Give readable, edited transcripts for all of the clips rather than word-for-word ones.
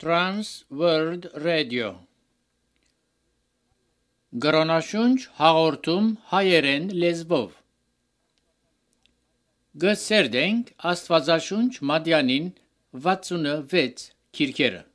Trans World Radio Գրոնաշունչ հաղորդում հայերեն լեզվով Գսերդենք Աստվածաշունչ Մատյանին 66 քիրքերը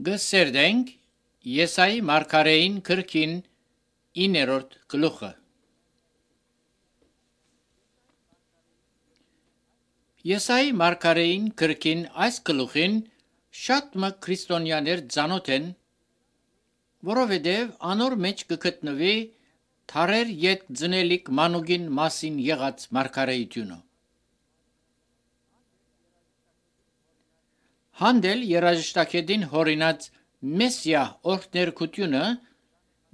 Գսերդենք Եսայի մարգարեին քրքին 9-րդ գլուխը Եսայի մարգարեին քրքին այս գլուխին շատ մը քրիստոնյաներ ծանոթ են, որովհետև անոր մեջ կգտնվի թարեր յետ ձնելիք մանուկին մասին եղած մարգարեությունը։ Հանդել երաժշտակետին հորինած մեսիա օրհներկությունը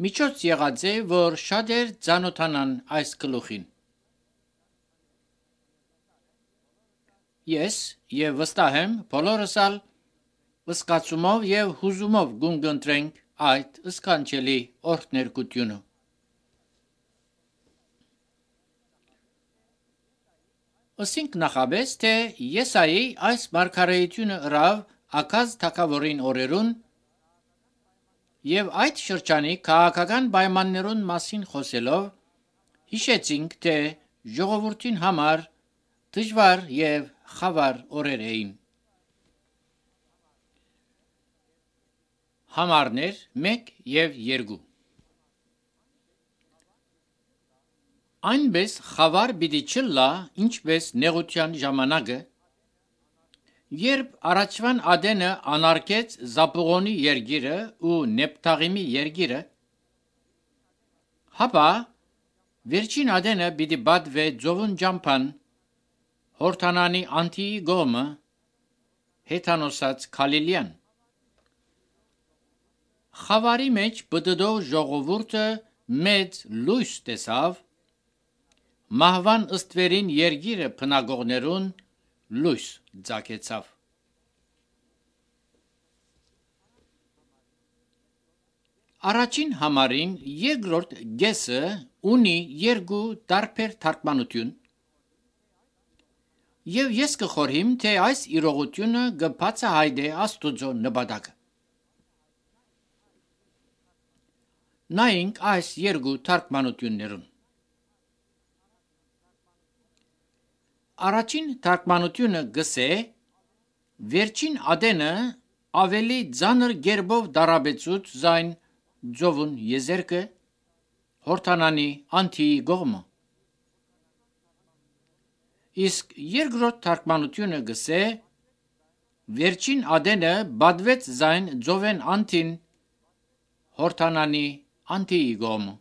միջոց եղած է, որ շատեր ծանոթանան այս գլուխին։ Ես եւ վստահ եմ բոլորս ալ վսկացումով եւ հուզումով գունգընտրենք այդ սքանչելի օրհներկությունը։ Ասինք նախաբես, թե Եսայի այս մարգարեությունը ըրավ Աքազ թագավորին օրերուն եւ այդ շրջանի քաղաքական պայմաններուն մասին խոսելով հիշեցինք, թե ժողովրդին համար դժվար եւ խավար օրեր էին։ Համարներ 1 եւ 2 Այնպես խավար պիտի չլա, ինչպես նեղության ժամանակը, երբ առաջվան Ադենը անարգեց Զապուղոնի երգիրը ու Նեփթաղիմի երգիրը, հապա Վերջին ադենը պիտի բադվե ձովուն ջամփան հորթանանի անտիի գոմը հեթանոսած Քալիլյան։ Խավարի մեջ բդդով ժողովուրդը մեծ լույս տեսավ, մահվան ըստվերին երգիրը փնագողներուն լույս ձակեցավ։ Առաջին համարին երկրորդ գեսը ունի երկու տարբեր թարգմանություն, եւ ես կխորհիմ, թե այս իրողությունը կբացահայտե Աստուծո նպատակը։ Նայենք այս երկու թարգմանություններուն։ Առաջին թարգմանությունը գսե վերջին ադենը ավելի ծանր գերբով դարաբեցուց զայն ձովուն եզերքը հորթանանի անտիի գողմը։ Իսկ երկրորդ թարգմանությունը գսե վերջին ադենը բադվեց զայն ձովեն անտին հորթանանի անտիի գողմը։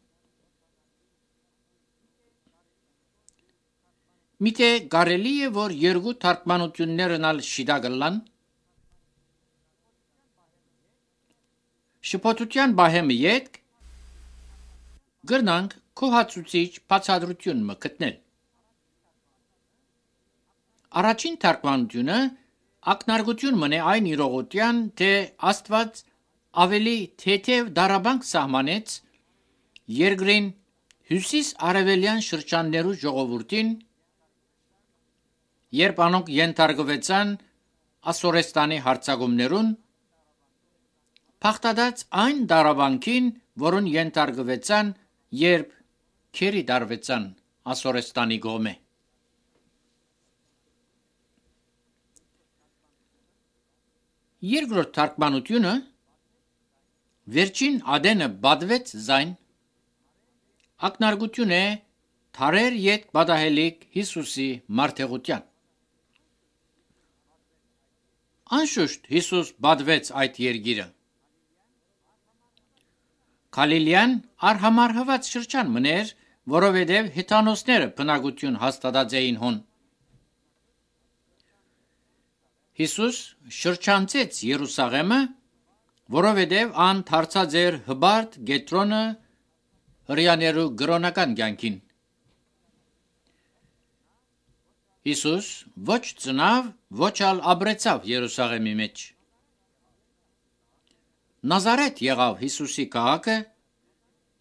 Միթե կարելի է, որ երկու թարգմանություններն ալ շիդագլան։ Շփոթության բահեմը ետք գրնանք քոհացուցիչ բացատրություն մը գտնել։ Առաջին թարգմանությունը ակնարկություն մնե այն իրողության, թե Աստված ավելի թեթև դարաբանք սահմանեց երկրին հյուսիս արևելյան շրջաններու ժողովուրդին, երբ անոնք ենթարկվեցան Ասորեստանի հարձակումներուն, փախտած այն դարաբանքին, որուն ենթարկվեցան, երբ քերի դարվեցան Ասորեստանի գոմե։ Երկրորդ թարգմանությունը վերջին ադենը բադվեց զայն ակնարկություն է թարեր յետ պատահելիք Հիսուսի մարդեղության։ Անշուշտ Հիսուս բադվեց այդ երգիրը։ Քալիլյան արհամարհված շրջան մներ, որովհետև հեթանոսները բնակություն հաստատած էին հոն։ Հիսուս շրջանցեց Երուսաղեմը, որովհետև ան դարձած էր հբարտ գետրոնը հրյաներու գրոնական կյանքին։ Հիսուս ոչ ծնավ, ոչ ալ ապրեցավ Երուսաղեմի մեջ։ Նազարեթ եղավ Հիսուսի քաղաքը,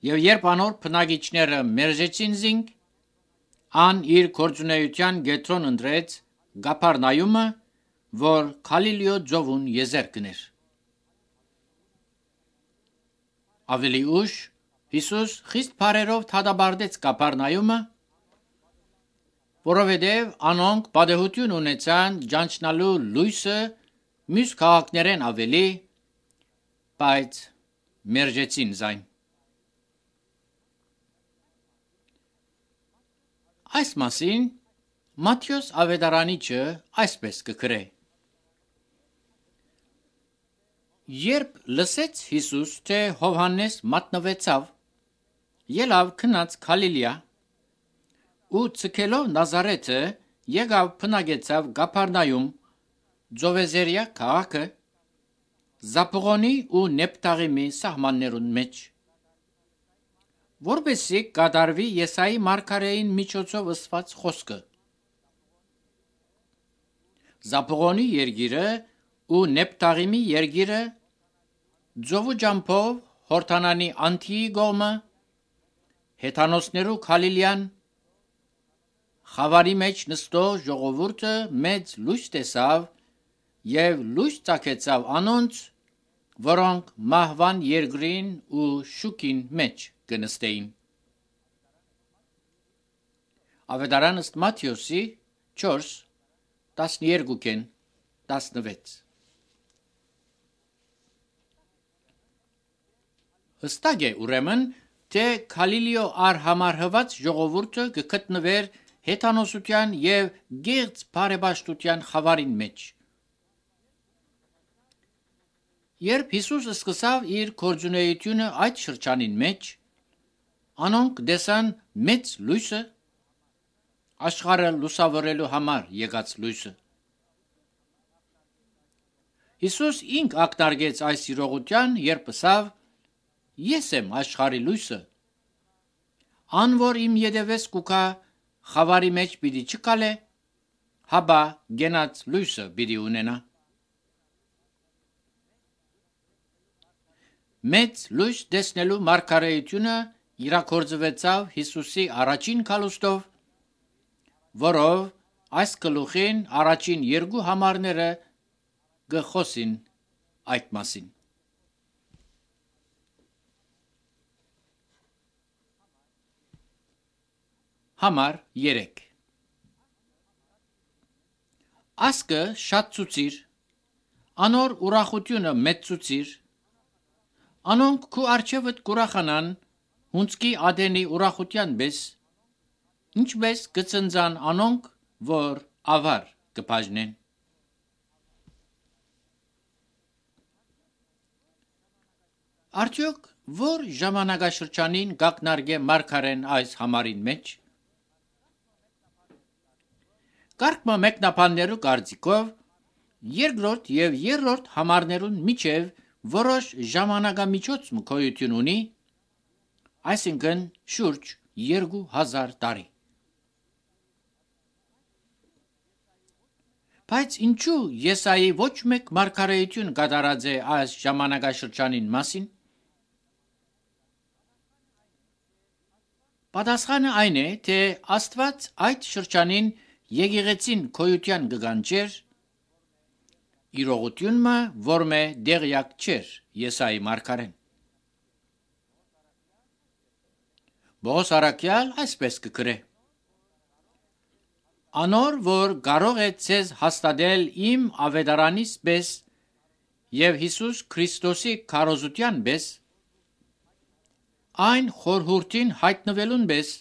եւ երբ անոր բնակիչները մերժեցին զինք, ան իր գործունեության գետրոն ընտրեց Գափառնայումը, որ Քալիլիո ձովուն եզերքն էր։ Ավելի ուշ Հիսուս խիստ բարերով թադաբարդեց Գափառնայումը, որովհետև անոնք պատահություն ունեցան ճանչնալու լույսը մյուս քաղաքներեն ավելի, բայց մերժեցին զայն։ Այս մասին Մատթեոս ավետարանիչը այսպես կգրե. Երբ լսեց Հիսուս, թե Հովհաննես մատնվեցավ, ելավ քնած Քալիլիա, ու ցկելով Նազարեթը եկավ բնակեցավ Գափառնայում, Ձովեզերիա քաղաքը, Զապուղոնի ու Նեփտաղիմի սահմաններուն մեջ, որպեսզի կատարվի Եսայի մարգարեին միջոցով ըսված խոսքը։ Զապուղոնի երգիրը ու Նեփտաղիմի երգիրը ձովու ջամփով հորթանանի անտիի գոմը, հեթանոսներու Քալիլյան, խավարի մեջ նստող ժողովուրդը մեծ լույս տեսավ եւ լույս ծագեցավ անոնց, որոնք մահվան երկրին ու շուքին մեջ կնստեին։ Ավետարան ըստ Մատթեոսի 4:12-16։ Հստակ է ուրեմն, թե Քալիլիո արհամարհված ժողովուրդը կգտնվեր հեթանոսության եւ գեղձ բարեպաշտության խավարին մեջ։ Երբ Հիսուս սկսավ իր գործունեությունը այդ շրջանին մեջ, Անոնք դեսան մեծ լույսը, աշխարհը լուսավորելու համար եկած լույսը։ Հիսուս ինք ակնարկեց այս իրողության, երբ ասավ. Ես եմ աշխարհի լույսը։ Ան որ իմ ետևես կուքա, խավարի մեջ պիտի չկալե, հաբա գենած լույսը պիտի ունենա։ Մեծ լույս տեսնելու մարգարեությունը իրագործվեցավ Հիսուսի առաջին քալուստով, որով այս գլուխին առաջին երկու համարները գխոսին այդ մասին։ Համար 3 Ասկը շատ ցուցիր, անոր ուրախությունը մեծ ցուցիր, անոնք քու արջևդ կուրախանան, հունցքի ադենի ուրախության բես, ինչպես կծնձան անոնք, որ ավար կբաժնեն։ Արդյոք որ ժամանակաշրջանին գակնարգե մարգարեն այս համարին մեջ։ Կարգմը մեկնաբաններու կարծիքով երկրորդ եւ երրորդ համարներուն միջև որոշ ժամանակամիջոց գոյություն ունի, այսինքն շուրջ 2000 տարի։ Բայց ինչու Եսայի ոչ մեկ մարգարեություն կատարած է այս ժամանակաշրջանին մասին։ Պատասխանը այն է, թե Աստված այդ շրջանին եկեղեցին գոյության կգանչեր, իրողությունը, որ մե դեղյակ չէր Եսայի մարգարեն։ Բողոս առաքյալ այսպես կգրե. Անոր, որ կարող է ցեզ հաստատել իմ ավետարանից պես եւ Հիսուս Քրիստոսի քարոզության պես, այն խորհուրդին հայտնվելուն պես,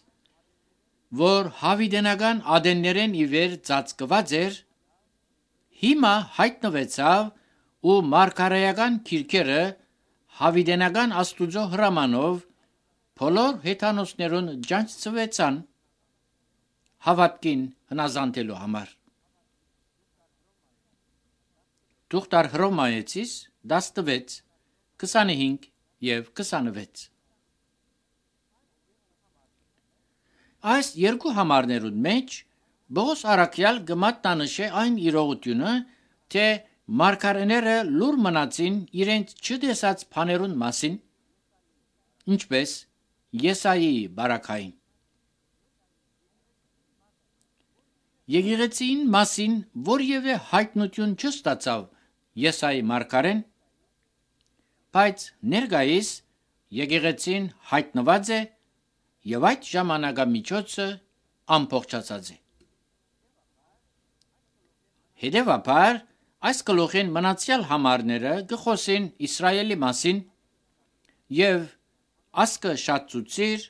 որ հավիդենական ադեններեն իվեր ծածկված էր, հիմա հայտնվեցավ ու մարգարեական քիրքերը հավիդենական Աստուծո հրամանով բոլոր հեթանոսներուն ջանցվեցան հավատքին հնազանդելու համար։ Թուղթար Հռոմայեցիս 16, 25 եւ 26 Այս երկու համարներուն մեջ Բողոս առաքյալ կմատնանշե այն իրողությունը, թե մարգարեները լուր մնացին իրենց չտեսած բաներուն մասին, ինչպես Եսայի բարակային։ Եկեղեցին մասին որևէ հայտնություն չստացավ Եսայի մարգարեն, բայց ներկայիս եկեղեցին հայտնված է եւ այդ ժամանակամիջոցը ամբողջացած է։ Հետևաբար այս գլուխին մնացյալ համարները գխոսին Իսրայելի մասին եւ ասկը շատ ցուցիր,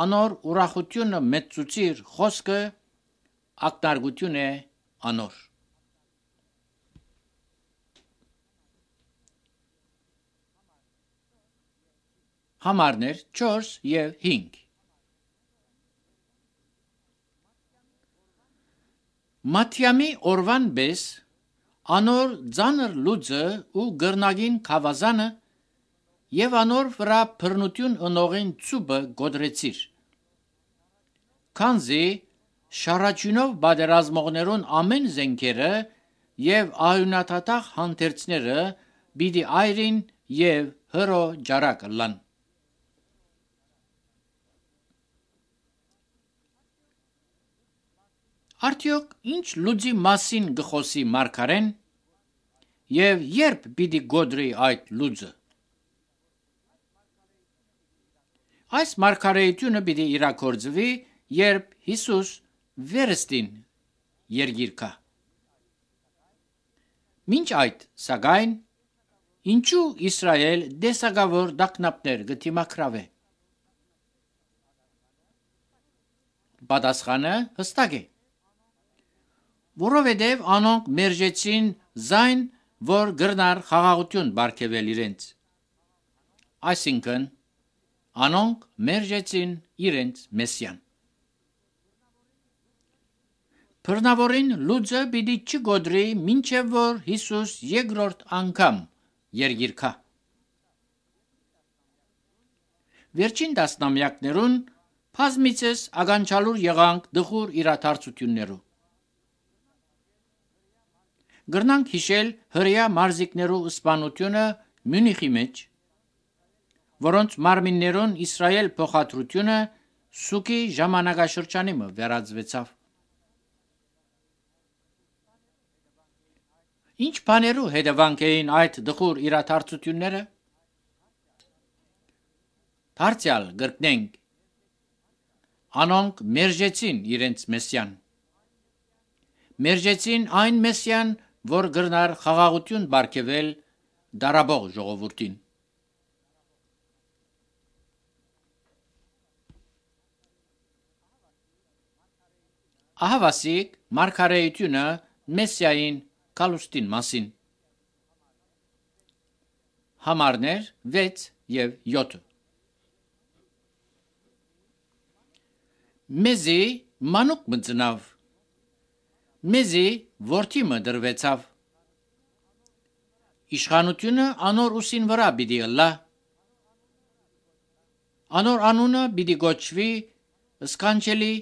անոր ուրախությունը մեծ ցուցիր խոսքը ակտարգություն է անոր։ Համարներ 4 եւ 5 Մատյամի օրվան բես անոր ձանր լուծը ու գրնագին քավազանը եւ անոր վրա բռնություն ընողին ցուբը գոդրեցիր։ Քանզի շարաչյունով բادرազմողներուն ամեն զենքերը եւ ահյունաթաթախ հանդերձները պիտի այրին եւ հրո ջարակ լան։ Արդյոք ինչ լուծի մասին գխոսի մարգարեն եւ երբ պիտի գոդրի այդ լուծը։ Այս մարգարեությունը պիտի իրագործվի, երբ Հիսուս վերստին երգիր կա։ Մինչ այդ, սակայն, ինչու Իսրայել դեսագավոր դակնապներ գտիմակրավե։ Պատասխանը հստակ է։ Որովհետև անոնք մերժեցին զայն, որ գրնար խաղաղություն բարգեւել իրենց։ Այսինքն, անոնք մերժեցին իրենց մեսիան։ Բռնավորին լուծը պիտի չգոդրի, մինչև որ Հիսուս երկրորդ անգամ երգիր գա։ Վերջին տասնամյակներուն բազմիցս ականջալուր եղանք դխուր իրադարձություններու։ Գրնանք հիշել հրեա մարզիկներու սպանությունը Մյունիխի մեջ, որոնց մարմիններուն Իսրայել փոխադրությունը Սուկի ժամանակաշրջանի մը վերածվեցավ։ Ինչ բաներու հետևանք էին այդ դխուր իրադարձությունները։ Դարձյալ գրկնենք, անոնք մերժեցին իրենց մեսիան։ Մերժեցին այն մեսիան, որ գրնար խաղաղություն բարգեւել դարաբող ժողովրդին։ Ահավասիկ մարգարեությունը մեսիային կալուստին մասին։ Համարներ 6 եւ 7։ Մեզի մանուկ մծնավ, մեզի որդի մը դրվեցավ, իշխանությունը անոր ուսին վրա պիտի ըլլա, անոր անունը պիտի գոչվի սքանչելի,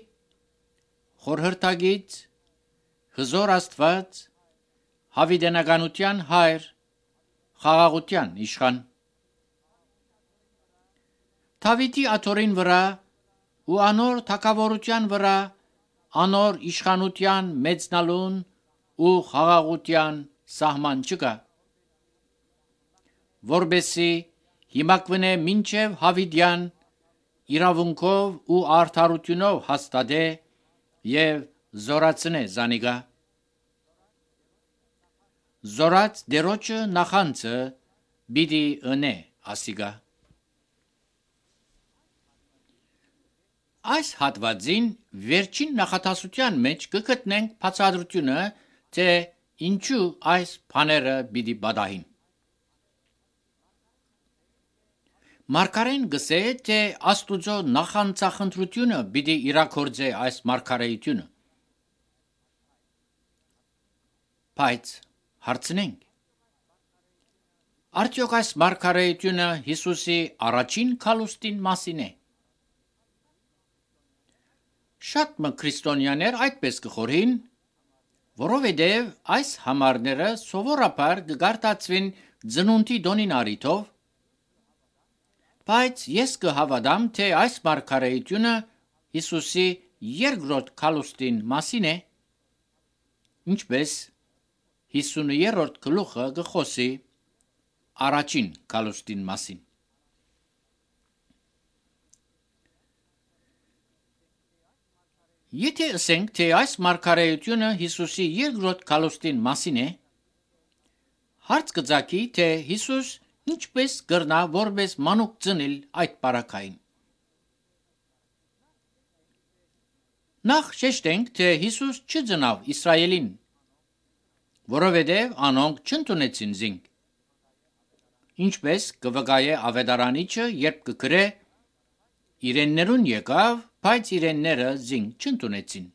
խորհրդագից, հզոր Աստված, հավիտենականության հայր, խաղաղության իշխան։ Դավիթի աթոռին վրա ու անոր թագավորության վրա, անոր իշխանության մեծնալուն ու խաղաղության սահման չկա, որբեսի հիմակվնե մինչև հավիտյան իրավունքով ու արդարությունով հաստատե եւ զորացնե զանիգա։ Զորած դերոջը նախանցը պիտի ընե ասիգա։ Այս հատվածին վերջին նախատասության մեջ կգտնենք բացատրությունը, թե ինչու այս բաները պիտի պատահին։ Մարգարեն գսե, թե Աստուծո նախանցախնդրությունը պիտի իրագործե այս մարգարեությունը։ Բայց հարցնենք. արդյոք այս մարգարեությունը Հիսուսի առաջին քալուստին մասին է։ Շատ մը քրիստոնյաներ այդպես կխորհին, որովհետև այս համարները սովորաբար կգարտացվին ծնունդի դոնին առիթով, բայց ես կհավատամ, թե այս մարգարեությունը Հիսուսի երկրորդ քալուստին մասին է, ինչպես 50-րդ գլուխը կխոսի առաջին քալուստին մասին։ Եթե ասենք, թե այս մարգարեությունը Հիսուսի երկրորդ քալուստին մասին է, հարց կծագի, թե Հիսուս ինչպես կրնա որպես մանուկ ծնել այդ պարակային։ Նախ շեշտենք, թե Հիսուս չծնավ Իսրայելին, որովհետև անոնք չընդունեցին զինք։ Ինչպես կվկայե ավետարանիչը, երբ կգրե իրեններուն եկավ, բայց իրենները զինք չընդունեցին։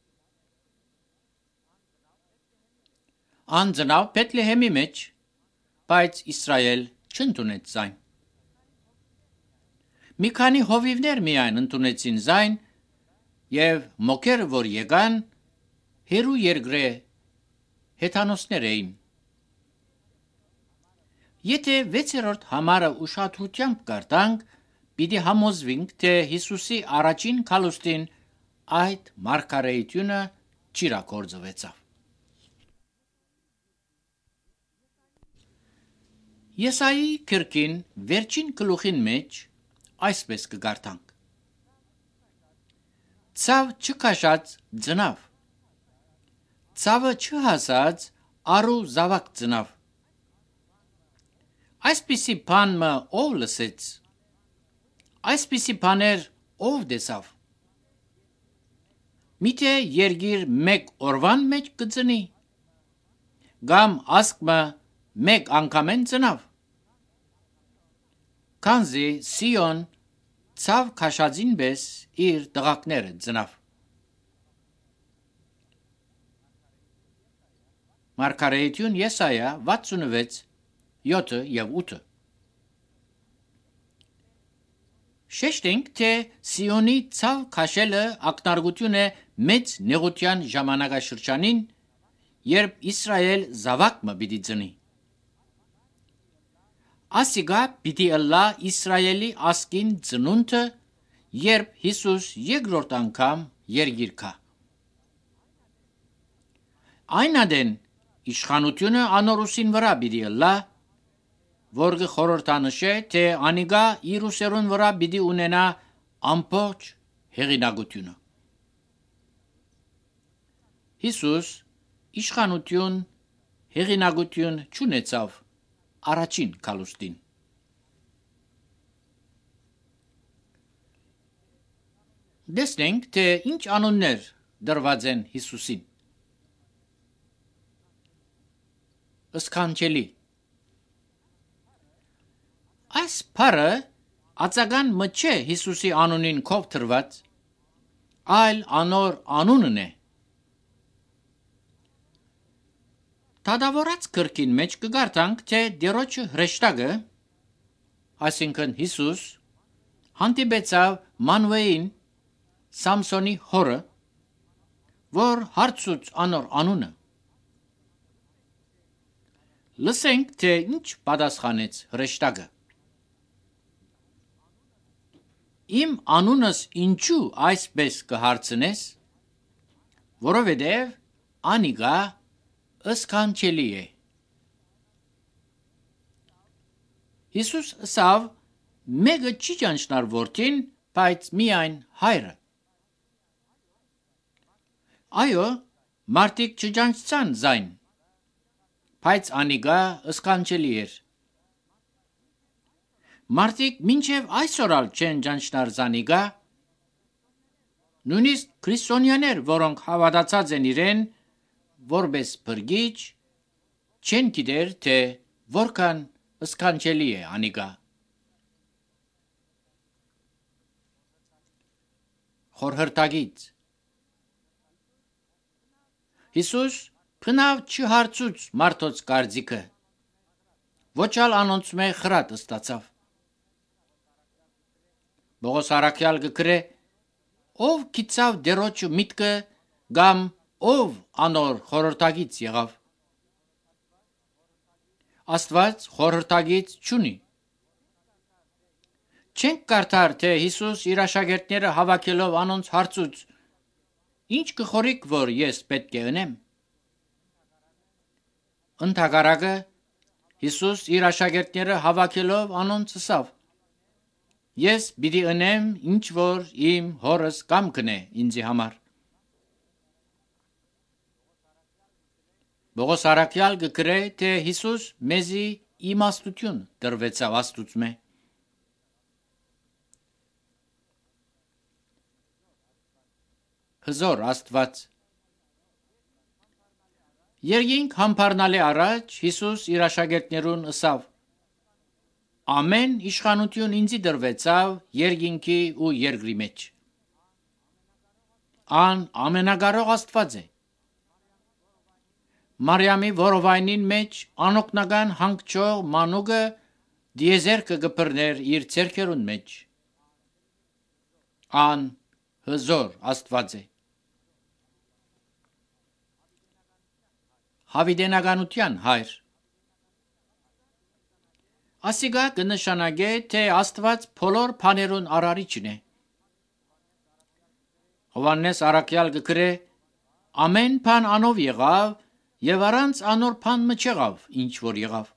Ան ծնավ Բեթլեհեմի մեջ, բայց Իսրայել չընդունեց զայն։ Մի քանի հովիվներ միայն ընդունեցին զայն եւ մոքերը, որ եկան, հերու երկրե հեթանոսներ էին։ Եթե 6-րդ համարը ուշադրությամբ կարդանք, պիտի համոզվենք, թե Հիսուսի առաջին քալուստին այդ մարգարեությունը չիրագործվեցավ։ Եսայի գրքին վերջին գլուխին մեջ այսպես կգարտանք. Ցավ չքաշած ծնավ, ցավը չհասած արու զավակ ծնավ։ Այսպիսի բան մը ով լսեց, այսպիսի բաներ ով տեսավ։ Միթե երգիր մեկ օրվան մեջ կծնի, կամ ասկմը մեկ անգամեն ծնավ։ Քանզի Սիոն ցավ քաշածին պես իր դղակները ծնավ։ Մարգարեություն Եսայա 66 7 եւ 8 Շեշտենք, թե Սիոնի ցավ քաշելը ակնարկություն է մեծ նեղության ժամանակաշրջանին, երբ Իսրայել զավակ մը պիտի ծնի։ Ասիգա պիտի ըլլա Իսրայելի ասկին ծնունդը, երբ Հիսուս երկրորդ անգամ երգիր կա։ Այն ադեն իշխանությունը անորուսին վրա պիտի ըլլա, որ խորհրդանշե, թե անիգա իր ուսերուն վրա պիտի ունենա ամբողջ հեղինակությունը։ Հիսուս իշխանություն, հեղինակություն չունեցավ առաջին քալուստին։ Դեսնենք, թե ինչ անուններ դրված են Հիսուսին։ Սքանչելի։ Այս բառը ածական մը չէ Հիսուսի անունին կով դրված, այլ անոր անունն է։ Դադավորած գրքին մեջ կգարտանք, թե դերոջը հրեշտակը, այսինքն Հիսուս, հանդիպեցավ Մանուեին, Սամսոնի հորը, որ հարցուց անոր անունը։ Լսենք, թե ինչ պատասխանեց հրեշտակը։ Իմ անունս ինչու այսպես կհարցնես, որովհետև անիգա սքանչելի է։ Հիսուս ասավ, մեկը չի ճանչնար որդին, բայց միայն հայրը։ Այո, մարդիկ չճանչցան զայն, բայց անիգա սքանչելի էր։ Մարդիկ մինչև այսօր ալ չեն ճանչնար զանիգա, նույնիսկ քրիստոնյաներ, որոնք հավատացած են իրեն, որպես բրգիչ, չեն գիտեր, թե որքան սքանչելի է անիգա։ Խորհրդագից Հիսուս փնավ չհարցուց մարդոց կարծիքը, ոչ ալ անոնց մե խրատ ստացավ։ Բողոս Արաքյալ գկրե, ով գիծավ դերոջը միտքը, գամ ով անոր խորհրդագից եղավ։ Աստված խորհրդագից չունի։ Չենք կարդար, թե Հիսուս իր աշակերտները հավաքելով անոնց հարցուց, ինչ կխորիկ, որ ես պետք է ընեմ։ Ընդհակառակը Հիսուս իր աշակերտները հավաքելով անոնց ասավ. Ես պիտի ընեմ, ինչ որ իմ հորս կամքն է ինձի համար։ Բողոս Արաքյալ գկրե, թե Հիսուս մեզի իմաստություն դրվեցավ Աստուծմե։ Հզոր Աստված Երկինք համբարնալի առաջ Հիսուս իր աշակերտներուն ասավ. Ամեն իշխանություն ինձի դրվեցավ երկինքի ու երկրի մեջ։ Ան ամենակարող Աստված է։ Մարիամի որովայնին մեջ անօգնական հանգչող մանուկը դիեզերքը կբռներ իր ցերքերուն մեջ։ Ան հզոր Աստված է։ Հավիտենականության հայր Ասիգա կնշանակե, թե Աստված բոլոր բաներուն արարիչն է։ Հովհաննես Արաքյալ գկրե, ամեն բան անով եղավ, եւ առանց անոր բան մչեղավ, ինչ որ եղավ։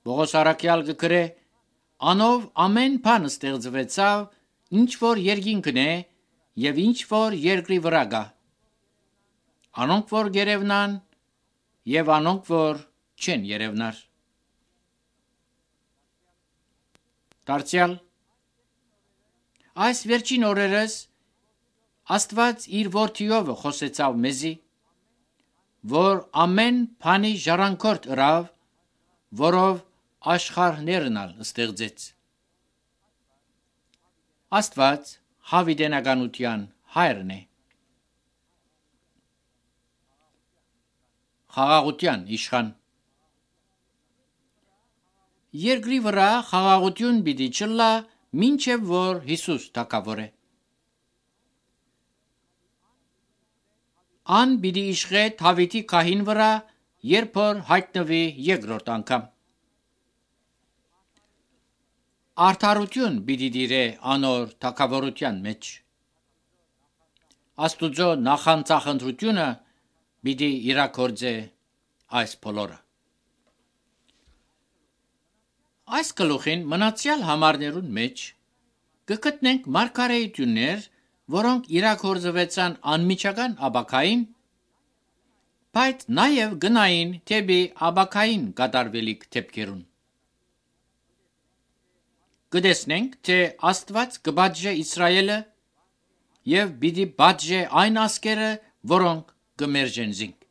Բողոս Արաքյալ գկրե, անով ամեն բան ստեղծվեցավ, ինչ որ երկինքն է եւ ինչ որ երկրի վրա գա։ Անոնք որ գերևնան եւ անոնք որ չեն երևնար։ Դարձյալ այս վերջին օրերս Աստված իր որդիով խոսեցավ մեզի, որ ամեն բանի ժառանգորդ ըրավ, որով աշխարհներն ալ ստեղծեց։ Աստված հավիտենականության հայրն է։ Խաղաղության իշխան։ Երկրի վրա խաղաղություն պիտի չլա, մինչև որ Հիսուս թագավոր է։ Ան պիտի իշխե Դավիթի քահին վրա, երբ որ հայտնվի երկրորդ անգամ։ Արդարություն պիտի դիրե անոր թագավորության մեջ։ Աստուծո նախանձախնդրությունը պիտի իրագործե այս բոլորը։ Այս գլուխին մնացյալ համարներուն մեջ կգտնենք մարգարեություններ, որոնք իրագործվեցան անմիջական աբակային, բայց նաև գնային թեպի աբակային կատարվելիք դեպքերուն։ Կտեսնենք, թե Աստված կպատժե Իսրայելը եւ պիտի պատժե այն ազգերը, որոնք կմերժեն զինք։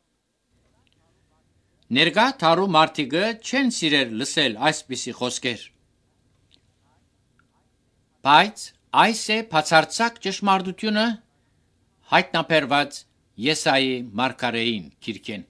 Ներկա թարու մարդիկը չեն սիրել լսել այսպիսի խոսքեր։ Բայց այս է բացարձակ ճշմարտությունը հայտնաբերված Եսայի մարգարեին գիրքեն։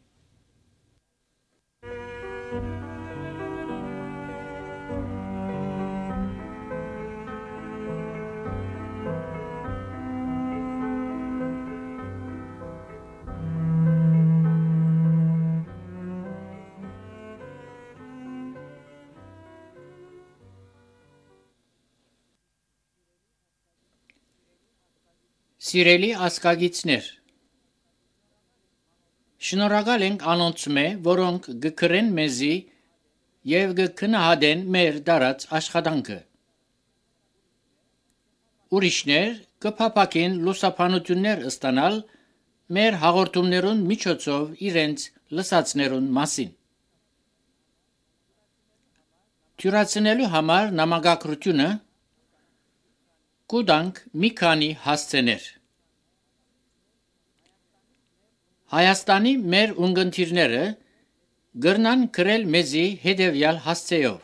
Սիրելի ազգագիցներ, շնորհակալ ենք անոնցմե, որոնք գկրեն մեզի եւ գքնահատեն մեր դարած աշխատանքը։ Ուրիշներ կփապակեն լուսաբանություններ ստանալ մեր հաղորդումներուն միջոցով իրենց լսածներուն մասին։ Թյուրացնելու համար նամակագրությունը կուտանք մի քանի հասցեներ։ Հայաստանի մեր ունգընտիրները գրնան գրել մեզի հետևյալ հասցեով.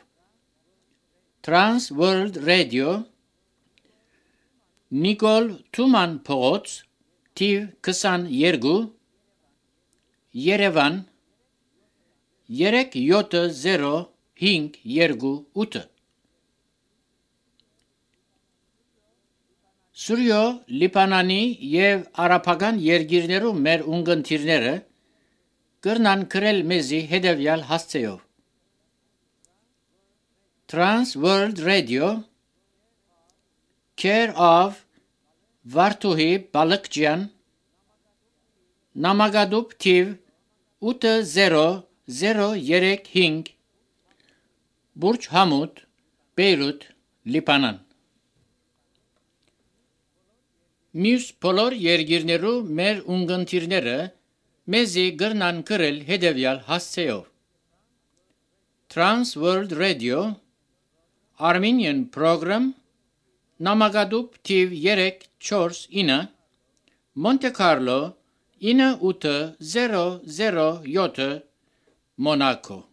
Trans World Radio, Նիկոլ Թուման փողոց, թիվ 22, Երևան 37058։ Սուրյո Լիբանանի եւ արաբական երկիրներում մեր ունգընտիրները կրնան գրել մեզի հետևյալ հասցեով. Trans World Radio, Care of Վարդուհի Բալկջյան, Նամակադուբ թիվ 80035, Բուրջ Համուդ, Բեյրութ, Լիբանան։ Մյուս բոլոր երկիրներու մեր ունգընտիրները մեզի գրնան գրել հետևյալ հասցեով. Trans World Radio, Armenian Program, Նամակադուբ թիվ 349, Monte Carlo 9807, Monaco։